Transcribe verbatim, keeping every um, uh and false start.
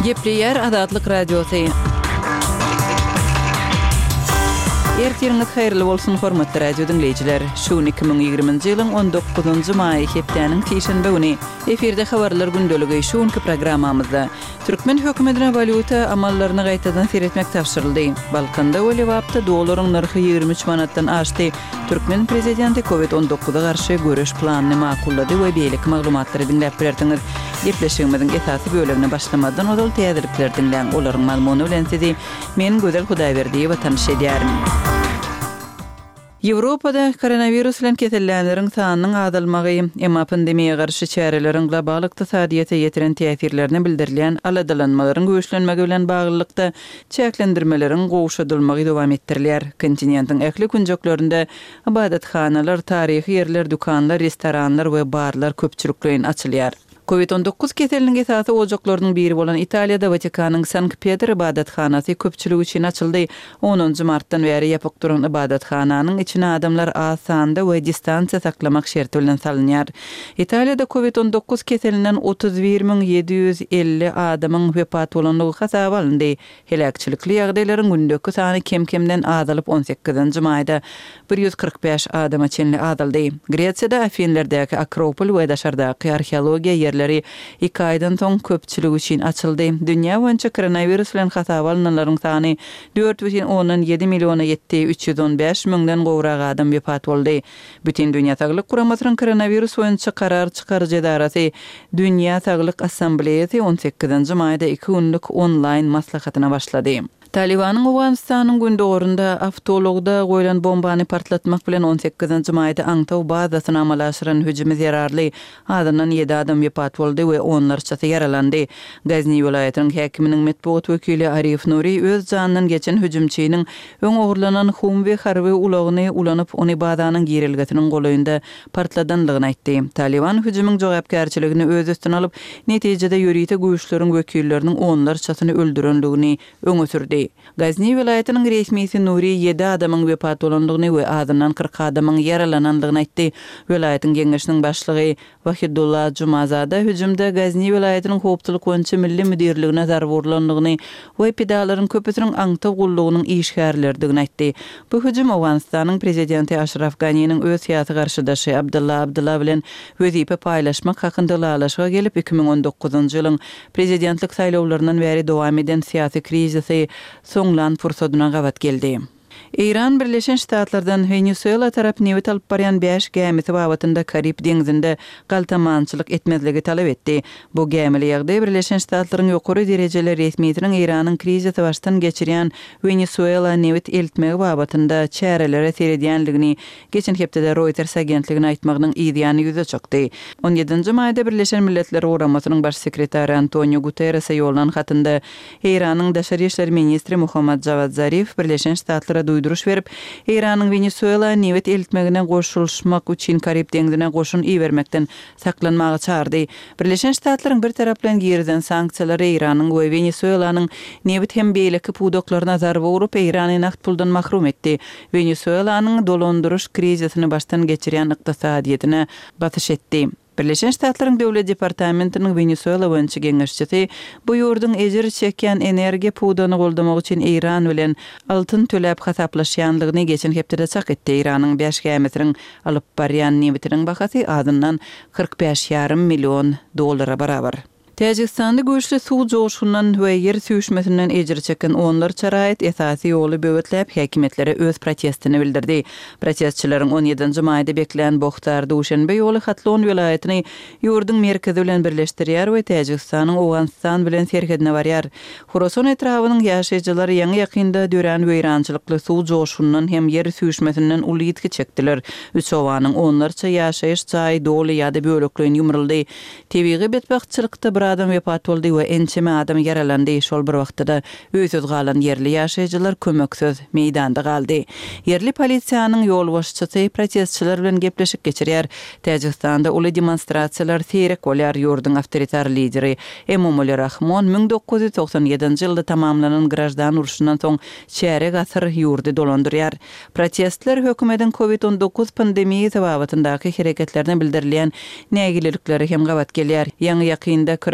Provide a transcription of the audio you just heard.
Gepleýär Azatlyk Radiosy. Ertiriňiz haýyrly bolsun, hormatly radio diňleýjiler! Şu gün iki müň ýigriminji ýylyň on dokuzynjy maýy, hepdäniň sişenbe güni. Efirde Habarlar gündeligi. Şu günki programmamyzda türkmen hökümetine walýuta amallaryny gaýtadan seretmek tabşyryldy. Balkanda we Lebapda dollaryň nyrhy ýigrimi üç manatdan aşdy. Türkmen prezidenti Covid on dokuza garşy göreş planyny makullady we beýleki maglumatlary diňläp bilersiňiz. Gepleşigimiziň esasy bölegine başlamazdan ozal täzelikleri diňläň. Olaryň mazmuny bilen sizi men, Gözel Hudaýberdiýewa tanyş edýärin. Ýewropada koronawirus bilen kesellänleriň sanynyň azalmagy, emma pandemiýa garşy çäreleriň global ykdysadyýete ýetiren täsirlerine bildirilýän aladalanmalaryň güýçlenmegi bilen baglylykda çäklendirmeleriň gowşadylmagy dowam etdirilýär. Kontinentiň ähli künjeklerinde ybadathanalar, taryhy ýerler, dükanlar, restoranlar we barlar köpçülikleýin açylýar. Covid on dokuz keseliniň esasy ojaklarynyň biri bolan Italiýada Watikanyň Sankt-Petr ybadathanasy köpçülik üçin açyldy. Onunjy martdan bäri ýapyk duran ybadathananyň içine adamlar az sanda we distansiýa saklamak şerti bilen salynýar. Italiýada Covid on dokuz keselinden otuz bir müň ýedi ýüz elli adamyň wepat bolandygy hasaba alyndy. Heläkçilikli ýagdaýlaryň gündeki sany kem-kemden azalyp on sekizinji maýda bir ýüz kyrk bäş adama çenli azaldy. Gresiýada Afinlerdäki Akropol we daşardaky arheologiýa ýerleri iki aýdan soň köpçülik üçin açyldy. Dünýä boýunça koronawirus bilen hasaba alynanlaryň sany dört bütin ondan ýedi milliona ýetdi, üç ýüz on bäş müňden gowrak adam wepat boldy. Bütindünýä Saglyk Guramasynyň koronawirus boýunça karar çykaryjy edarasy Dünýä Saglyk Assambleýasy on sekizinji maýda iki günlük onlaýn maslahatyna başlady. Talibanyň Owganystanyň gündogarynda awtoulagda goýlan bombany partlatmak bilen on sekizinji maýda aňtaw bazasyna amala aşyran hüjümi zerarly azyndan ýedi adam wepat boldy we onlarçasy ýaralandy. Gazni welaýatynyň häkiminiň metbugat wekili Arif Nuri öz janyndan geçen hüjümçiniň öň ogurlanan Humvee harby ulagyny ulanyp, ony bazanyň girelgesiniň golaýynda partladanlygyny aýtdy. Taliban hüjümiň jogapkärçiligini öz üstüne alyp, netijede ýörite güýçleriň wekilleriniň onlarçasyny öldürenligini öňe sürdi. Gazni welaýatynyň resmisi Nuri ýedi adamyň wepat bolandygyny we azyndan kyrk adamyň ýaralanandygyny aýtdy. Welaýatyň geňeşiniň başlygy Wahidullah Jumazada hüjümde Gazni welaýatynyň howpsuzlyk boýunça milli müdirligine zarba urlandygyny we pidalaryň köpüsiniň aňtaw gullugynyň işgärleridigini aýtdy. Bu hüjüm Owganystanyň prezidenti Aşraf Ganiniň öz syýasy garşydaşy Abdullah Abdullah bilen wezipe paýlaşmak hakynda ylalaşyga gelip, iki müň on dokuzynjy ýylyň prezidentlik saýlawlaryndan bäri dowam eden syýasy krizisi soňlan pursadyna gabat geldi. Eýran Birleşen Ştatlardan Wenesuela tarap nebit alyp barýan bäş gämisi babatynda Karib deňzinde galtamançylyk etmezligi talap etdi. Bu gämili ýagdaý Birleşen Ştatlaryň ýokary derejeli resmisiniň Eýranyň krizisi başdan geçirýän Wenesuela nebit eltmegi babatynda çärelere seredýänligini geçen hepdede Reuters agentligine aýtmagynyň yzýany ýüze çykdy. On ýedinji maýda Birleşen Milletler Guramasynyň baş sekretary Antonio Guterrese ýollan hatynda Eýranyň daşary işler ministri Muhammad Jawad Zarif Birleşen Ştatlara duýduryş berip, Eýranyň Wenesuela nebit eltmegine goşulyşmak üçin Karib deňzine goşun ibermekden saklanmaga çağırdy. Birleşen Ştatlaryň bir taraplaýyn girizen sanksiýalary Eýranyň we Wenesuelanyň nebit hem beýleki pudaklaryna zarba urup, Eýrany nagt puldan mahrum etdi. Wenesuelanyň dolandyryş krizisini başdan geçirýän ykdysadyýetine basyş etdi. Birleşen Ştatlaryň Döwlet departamentiniň Wenesuela boýunça geňeşçisi bu ýurduň ejir çekýän energiýa pudagyny goldamak üçin Eýran bilen altyn töläp hasaplaşýanlygyny geçen hepdede çak etdi. Eýranyň bäş gämisiniň alyp barýan nebitiniň bahasy azyndan kyrk bäş ýarym million dollara barabar. Täjigistanda güýçli suw joşgundan we ýer süýşmesinden ejir çeken onlarça raýat esasy ýoly böwetläp, häkimiýetlere öz protestini bildirdi. Protestçileriň on ýedinji maýda beklän Bohtar Duşenbe ýoly Hatlon welaýatyny ýurduň merkezi bilen birleşdirýär we Täjigistanyň Owganystan bilen serhedine barýar. Horasan etrabynyň ýaşaýjylary ýaňy-ýakynda dörän weýrançylykly suw joşgundan hem ýer süýşmesinden uly ýitgi çekdiler. Üç obanyň onlarça ýaşaýyş jaýy doly ýa-da bölekleýin ýumruldy. Tebigy betbagtçylykda bir adam wepat boldy we ençeme adam ýaralandy. Şol bir wagtda-da öýsüz galan ýerli ýaşaýjylar kömeksiz meýdanda galdy. Ýerli polisiýanyň ýolbaşçysy protestçiler bilen gepleşik geçirýär. Täjigistanda uly demonstrasiýalar seýrek bolýar. Ýurduň awtoritar lideri Emomali Rahmon müň dokuz ýüz togsan ýedinji ýylda tamamlanan graždan urşundan soň çärek asyr ýurdy dolandyrýar. Protestler hökümetiň Covid on dokuz pandemiýasy babatyndaky hereketlerine bildirilýän nägilelikleri hem gabat gelýär. Ýaňy ýakynda